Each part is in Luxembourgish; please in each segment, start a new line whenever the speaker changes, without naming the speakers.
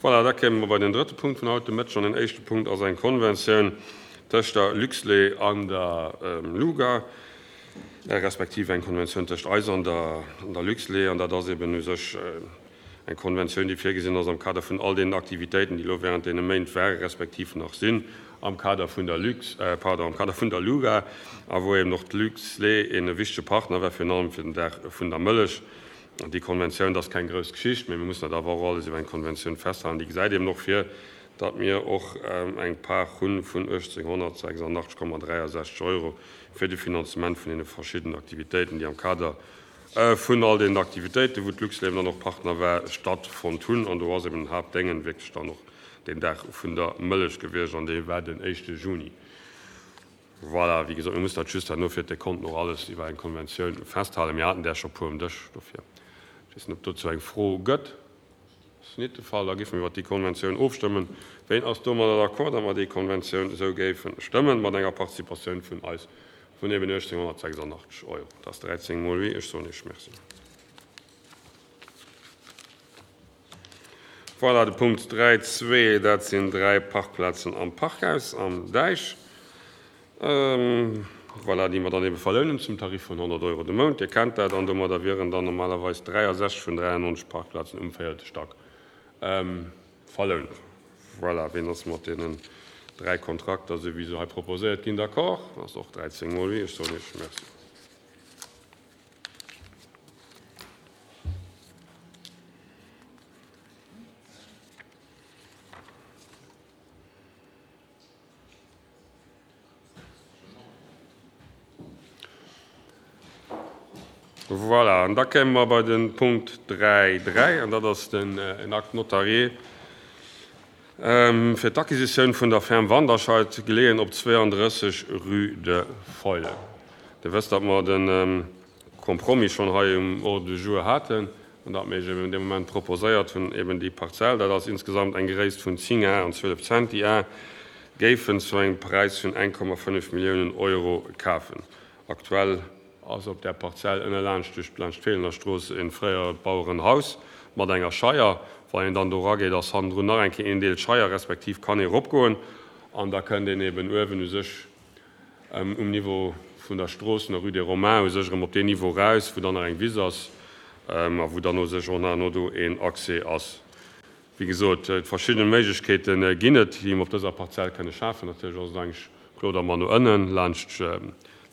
Voilà, da kéime mer bei den drëtte Punkt vun haut de Mëtteg. An den éischte Punkt ass eng Konventioun tëscht der Luxlait an der LUGA, respektiv eng Konventioun tëscht eis an der Luxlait. An dat ass eben u sech eng Konventioun, déi virgesinn ass am Kader vun all deenen Aktivitéiten, déi elo während deene Méint ware respektiv nach sinn am Kader vun der Lux, pardon, am Kader vun der LUGA, a wou eben och d'Luxlait een wichtege Partner war, virun allem fir den Dag vun der Mëllech. An déi Konventioun, dat ass keng grouss Geschicht, mä mir mussen dat awer och alles iwwer eng Konventioun festhalen, déi gesäit eben och vir, datt mir och eng Part hu vun 1.886,63 Euro fir de Finanzement vun deene verschiddenen Aktivitéiten, déi am Kader vun all deenen Aktivitéiten, wou d'Luxlait eben dann och Partner war, stattfonnt hunn. An do ass eben den Haaptdéngen wierklech dann och deen Dag vun der Mëllech gewiescht, an dee war den éischte Juni. Voilà, wéi gesot, mir mussen dat just herno fir d'Dekonten och alles iwwer eng Konventioun festhalen. Mir haten där scho puer um Dësch, dofir. Ech weess net, ob dozou eng Fro gëtt. Ass net de Fall. Da géife mir iwwert déi Konventioun ofstëmmen. Ween ass domadder d'accord, datt mer déi Konventioun esou géife stëmmen, mat enger Participatioun vun eis vun eben 1.886 Euro? Dat ass 13 mol oui. Ech soen Iech Merci. Voilà, de Punkt 3.2, dat sinn dräi Parkplazen am Parkhaus am Däich, voilà, déi mer dann ebe verlounen zum Tarif vun 100 Euro de Mount. Dir kennt dat. An domadder wieren dann normalerweis 63 vun 93 Parkplazen um véierte Stack verlount. Voilà, ween ass mat deenen dräi Kontrakter, esou wéi se hei proposéiert ginn, d'accord? Dat ass och 13 mol oui. Ech soen Iech Merci. Voilà, an da kéime mer bei de Punkt 3.3, an dat ass den Acte notarié fir d'Acquisitioun vun der Ferme Wanderscheid, geleeën op 32 rue de Feuillen. Dir wësst, datt mer de Compromis schonn hei um Ordre du jour haten an datt mir Iech eben dee Moment proposéiert hunn, eben déi Parzell, dat ass insgesamt eng Gréisst vun 10 Ar an 12 Centi Ar, géifen zu engem Präis vun 1,5 Milliounen Euro kafen. Aktuell ass op där Parzell ënne laanscht duerch laanscht d'Feelener Strooss e fréiert Bauerenhaus mat enger Scheier. Wann een dann do erageet, ass hannendrun nach eng Kéier een Deel Scheier, respektiv kann ee eropgoen an da kënnt een eben uewen u sech um Niveau vun der Strooss, vun der Rue des Romains, u sech erëm op deen Niveau eraus, wou dann nach eng Wiss ass a wou dann u sech och nach no do een Accès ass. Wéi gesot, verschidde Méiglechkeete ginn et, déi mer op dëser Parzell kënne schafen. Natierlech ass et eigentlech kloer, datt mer no ënnen, laanscht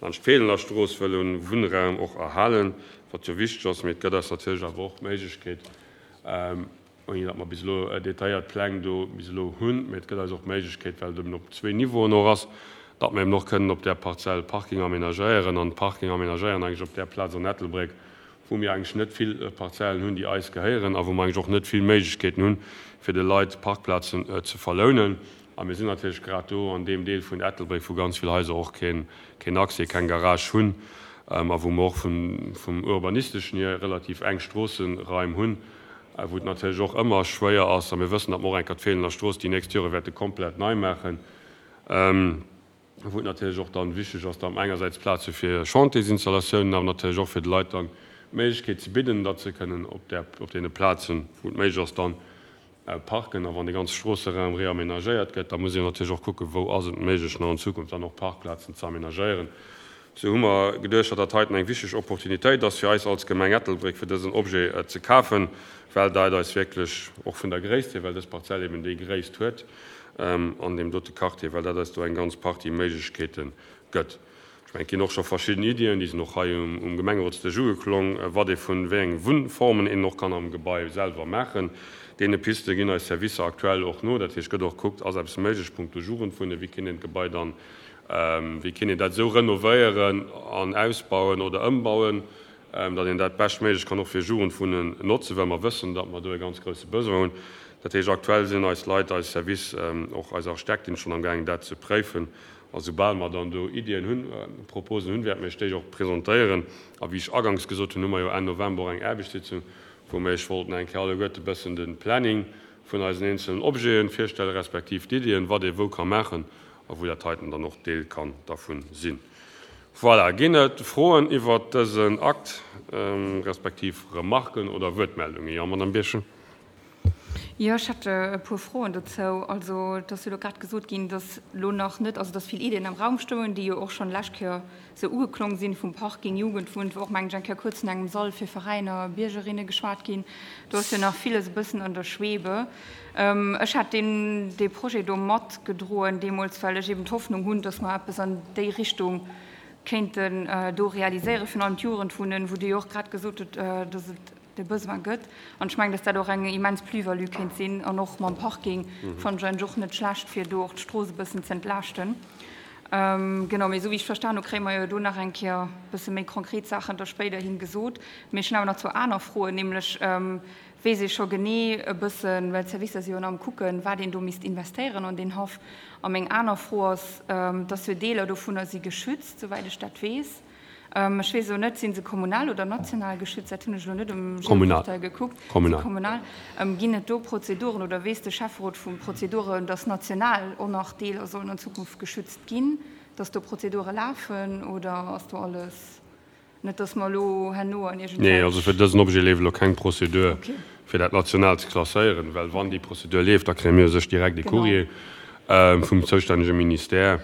laanscht d'Feelener Strooss wëlle Wunnraum och erhalen, wat jo wichteg ass. Mee et gëtt eis natierlech awer och d'Méiglechkeet, ouni datt mer bis elo detailléiert Pläng do bis elo hunn, mee et gëtt eis och d'Méiglechkeet, well et eben op zwee Niveauen och ass, datt mer eben och kënnen op där Parzell Parking aménagéieren an Parking aménagéieren eigentlech op där Plaz an Ettelbréck, wou mir eigentlech net vill Parzellen hunn, déi eis gehéieren a wou mer eigentlech och net vill Méiglechkeeten hunn, fir de Leit Parkplazen ze verlounen. A mir sinn natierlech grad do an deem Deel vun Ettelbréck, wou ganz vill Haiser och keen Accès, keng Garage hunn a wou mer och vum Urbanisteschen hier relativ enk Stroosseraim hunn, wou et natierlech och ëmmer schwéier ass, a mir wëssen, datt mer och eng Kéier d'Feelener Strooss déi nächst Jore wäerte komplett nei maachen, wou et natierlech och dann wichteg ass, datt mer engersäits Plaz hu fir Chantiersinstallatiounen, awer natierlech och fir de Leit dann d'Méiglechkeet ze bidden, datt se kënnen op där, op deene Plazen, wou et méiglech ass, dann parken. A wann dee ganze Stroosseraum reamenagéiert gëtt, da muss een natierlech och kucken, wou ass et méiglech nach an Zukunft dann och Parkplazen ze amenagéieren. Sou hu mer geduecht, datt dat heiten eng wichteg Opportunitéit ass fir eis als Gemeng Ettelbréck, fir dësen Objet ze kafen, well dat eis wierklech och vun der Gréisst hier, well dës Parzell eben déi Gréisst huet, an deem dote Quartier, well dat eis do eng ganz Partie Méiglechkeete gëtt. Ech mengen, et ginn och scho verschidden Iddien, déi sinn och hei um Gemengerotsdësch ugeklong, wat ee vun wéi enge Wunnformen een och kann am Gebai selwer maachen. Deene Piste ginn eis Servicer aktuell och no. Dat heescht, gëtt och gekuckt, ass eppes méiglech punkto Jugendwunnen, wéi kéint een d'Gebai dann, wéi kéint een dat esou renovéieren an ausbauen oder ëmbauen, datt een dat beschtméiglech kann och fir Jugendwunnen notzen, well mer wëssen, datt mer do e ganz grousse Besoin hunn. Dat heescht, aktuell sinn eis Leit, eis Service, och eis Architektin schonn amgaangen dat ze préifen. A soubal mer dann do Iddien hunn, Proposen hunn, wäerte mer Iech déi och presentéieren. A wéi ech aganks gesot hunn, hu mer jo Enn November och eng Aarbechtssitzung, wou mer Iech wollten eng Kéier alleguerte bëssen de Planning vun eisen eenzelen Objete virstellen, respektiv d'Iddien, wat ee wou ka maachen a wou dat heiten dann och Deel kann dervun sinn. Voilà, ginn et Froen iwwert dësen Akt, respektiv Remarken oder Wuertmeldungen? Jo, Madame Birchen.
Jo, ech hätt e puer Froen dozou. Also, et ass jo elo grad gesot ginn, dass elo nach net, also dass vill Ideeën am Raum stoungen, déi jo och schonn d'lescht Kéier sou ugeklong sinn, vum Parking, Jugendwunn, wou och, mengen ech, eng Kéier kuerz vun engem Sall fir Veräiner, Biergerinne geschwat ginn. Do ass jo nach villes e bëssen an der Schwebe. Ech hat deen, dee Projet do matgedroen deemools, well ech eben d'Hoffnung hunn, dass mer eppes an déi Richtung kéinten do realiséieren, virun allem d'Jugendwunnen, wou Dir jo och grad gesot hutt, dass et de Besoin gëtt. An ech mengen, dass dat och eng immens Plus-value kéint sinn. An och mam Parking fannen ech eigentlech och net schlecht, fir do och d'Strooss e bëssen ze entlaaschten. Genau, mee esou wéi ech verstan hu, kréie mer jo do nach eng Kéier e bësse méi konkret Saachen da spéiderhin gesot. Mee ech hunn awer nach zwou aner Froen, nämlech, Weess ee scho genee e bëssen, well d'Servicer si jo nach am Kucken, wat een do misst investéieren an deen Haff? A meng aner Fro ass, dass jo Deeler dovunner si geschützt, souwäit ech dat weess. Ech weess elo net, si se kommunal oder national geschützt? Dat hunn ech elo net um Geoportail gekuckt. Kommunal. Kommunal. Ginn et do Prozeduren oder weess de Schäfferot vu Prozeduren, dass national och nach Deeler sollen an Zukunft geschützt ginn, dass do Prozedure lafen oder ass do alles? Net dass mer elo herno an iergendwelch.
Nee, also fir dësen Objet leeft elo keng Prozedur, fir dat national ze klasséieren, well wann déi Prozedur leeft, da kréie mir u sech direkt e Courrier vum zoustännege Ministère,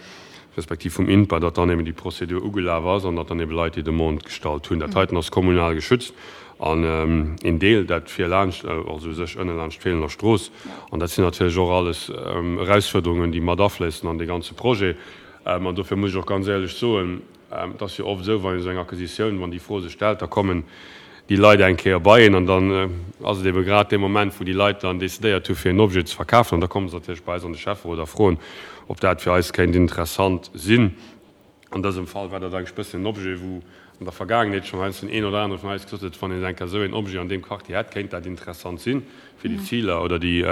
respektiv vum INPA, datt dann eben déi Prozedur ugelaf ass an datt dann eben Leit déi Demande gestallt hunn. Dat heiten ass kommunal geschützt an een Deel, dat vir laanscht, also u sech ënne laanscht d'Feelener Strooss. An dat sinn natierlech och alles Erausfuerderungen, déi mat afléissen an dee ganze Projet. An dofir muss ech och ganz éierlech soen, Et ass jo oft esou, wann een esou eng Acquisitioun, wann déi Fro sech stellt, da kommen déi Leit eng Kéier bei een an dann ass et ebe grad dee Moment, wou déi Leit dann decidéiert hu fir en Objet ze verkafen an da komme se natierlech bei eis an de Schäfferot a froen, ob dat fir eis kéint interessant sinn. An dësem Fall war dat eigentlech e bëssen en Objet, wou an der Vergaangenheet schonn heiansdo den een oder anere vun eis gesot huet, wann een eng Kéier esou een Objet an deem Quartier hätt, kéint dat interessant sinn. fir déi Ziler oder déi,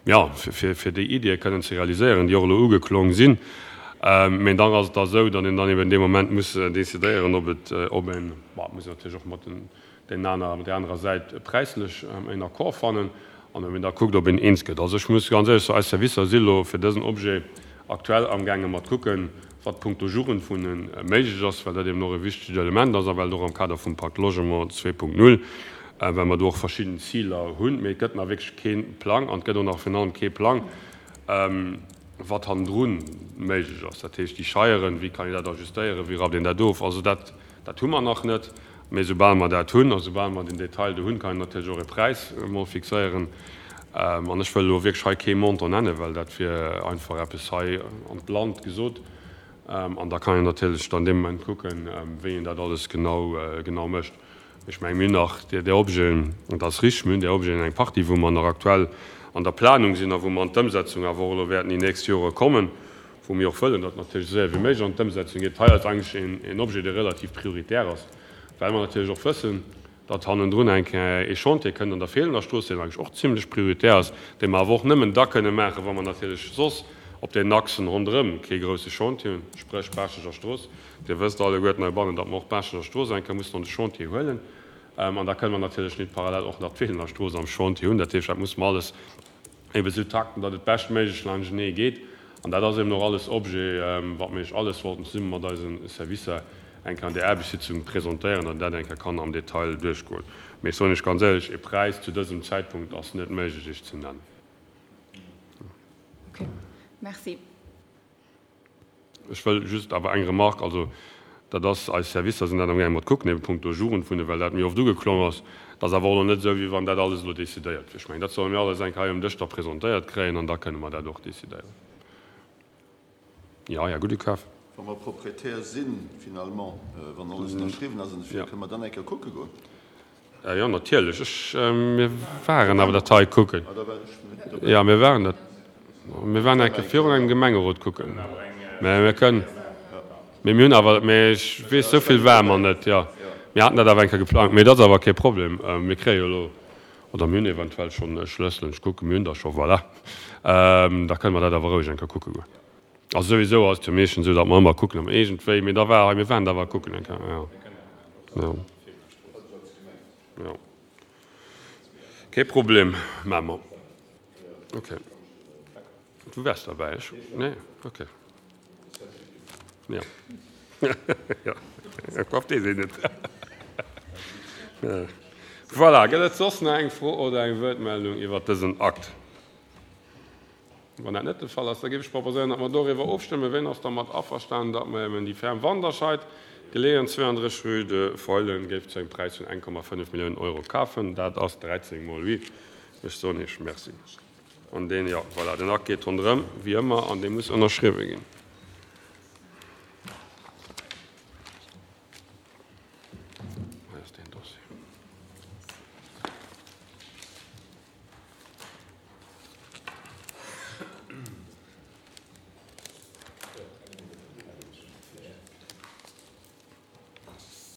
jo, fir déi Ideeë kënnen ze realiséieren, déi och elo ugeklong sinn. Mä dann ass et da esou, datt een dann eben dee Moment muss decidéieren, ob et, ob een, bon, et muss een natierlech och mat den, deenen aner, mat där anerer Säit präislech en Accord fannen an ob een da kuckt, ob een eens gëtt. Also ech muss ganz éierlech soen, eis Servicer si elo fir dësen Objet aktuell amgaange mat kucken, wat punkto Jugendwunnen méiglech ass, well dat eben och e wichtegt Element ass a well et och am Kader vum Pacte Logement 2.0, well mer do och verschidden Ziler hunn. Mee et gëtt nach wierklech kee Plang an et gëtt och nach virun allem kee Plang, wat hannendru méiglech ass. Dat heescht, déi Scheieren, wéi kann een dat ajustéieren, wéi rappt een dat of? Also dat, dat hu mer nach net. Mee soubal mer dat hunn a soubal mer den Detail do hunn, kann een natierlech och e Präis emol fixéieren. An ech wëll elo wierklech hei kee Montant nennen, well dat wier einfach eppes hei an d'Land gesot. An da kann een natierlech dann dee Moment kucken, wéi een dat alles genau, genau mécht. Ech mengen, mir hunn nach där Objeten, an dat ass richtig, mir hunn där Objeten eng Partie, wou mer nach aktuell an der Planung sinn a wou mer an d'Ëmsetzung awer och elo wäerten déi nächst Jore kommen, wou mir och wëllen, datt natierlech esou séier wéi méiglech an d'Ëmsetzung geet. Hei ass eigentlech een Objet, dee relativ prioritär ass, well mer natierlech och wëssen, datt hannendrun eng Kéier ee Chantier kënnt an der Feelener Strooss, deen eigentlech och zimlech prioritär ass, dee mer awer och nëmmen da kënne maachen, wa mer natierlech soss op den Achsen ronderëm kee grousse Chantier hunn, spréch Baaschteger Strooss. Dir wësst alleguerten heibannen, datt mer och d'Baaschteger Strooss eng Kéier mussen an de Chantier huelen. An da kënne mer natierlech nit parallel och nach d'Feelener Strooss am Chantier hunn. Dat heescht, dat musse mer alles ebe sou takten, datt et beschtméiglech laanschtenee geet. An dat ass eben och alles Objet, wat mir Iech alles wollten zesumme mat eise Servicer eng Kéier an där Aarbechtssitzung presentéieren, datt een dat eng Kéier kann am Detail duerchgoen. Mee ech soen Iech ganz éierlech, e Präis zu dësem Zäitpunkt ass net méiglech Iech ze nennen.
Okay, merci.
Ech wëll just awer eng Remarque, also dat ass, eis Servicer sinn dat amgaange mat kucken, ebe punkto Jugendwunnen, well dat méi oft ugeklong ass. Dat ass awer och nach net esou, wéi wann dat alles elo decidéiert wier. Ech mengen, dat solle mir alles eng Kéier hei um Dësch da presentéiert kréien an da kënne mer dat och decidéieren. Jo, Här Gudekaf.
Wa mer Proprietär sinn, finalement, wann alles ënnerschriwwen ass an esou virun, kënne mer dann eng Kéier kucke goen?
Jo, natierlech. Ech, mir waren awer dat hei kucken. Jo, mir waren dat, mir waren eng Kéier virun engem Gemengerot kucken. Mä mir kënnen, mee mir hunn awer, mee ech weess, esou vill ware mer net, jo. Mir haten dat awer eng Kéier geplangt. Mee dat ass awer kee Problem. Mir kréie jo elo, oder mir hunn eventuell schonn Schlësselen. Ech kucken, mir hunn der scho, voilà. Da kënne mer dat awer roueg eng Kéier kucke goen. Also souwisou ass et jo meeschtens esou, datt mer ëmmer kucken, ob mer iergendwéi, mee da war hei, mir waren da awer kucken eng Kéier, jo. Jo. Jo. Kee Problem, maache mer. Okay. Du waars derbäi, ech? Nee? Okay. Jo. Jo. Kopp, dee sinn et. Voilà, gëtt et soss nach eng Fro oder eng Wuertmeldung iwwert dësen Akt? Wann dat net de Fall ass, da géif ech proposéieren, datt mer doriwwer ofstëmmen. Wien ass dermat averstanen, datt mer eben déi Ferme Wanderscheid, geleeën 32 rue de Feulen, géif zu engem Präis vun 1,5 Milliounen Euro kafen? Dat ass 13 mol huit. Ech soen Iech Merci. An deen, jo, voilà, den Akt geet ronderëm, wéi ëmmer, an dee muss ënnerschriwwe ginn.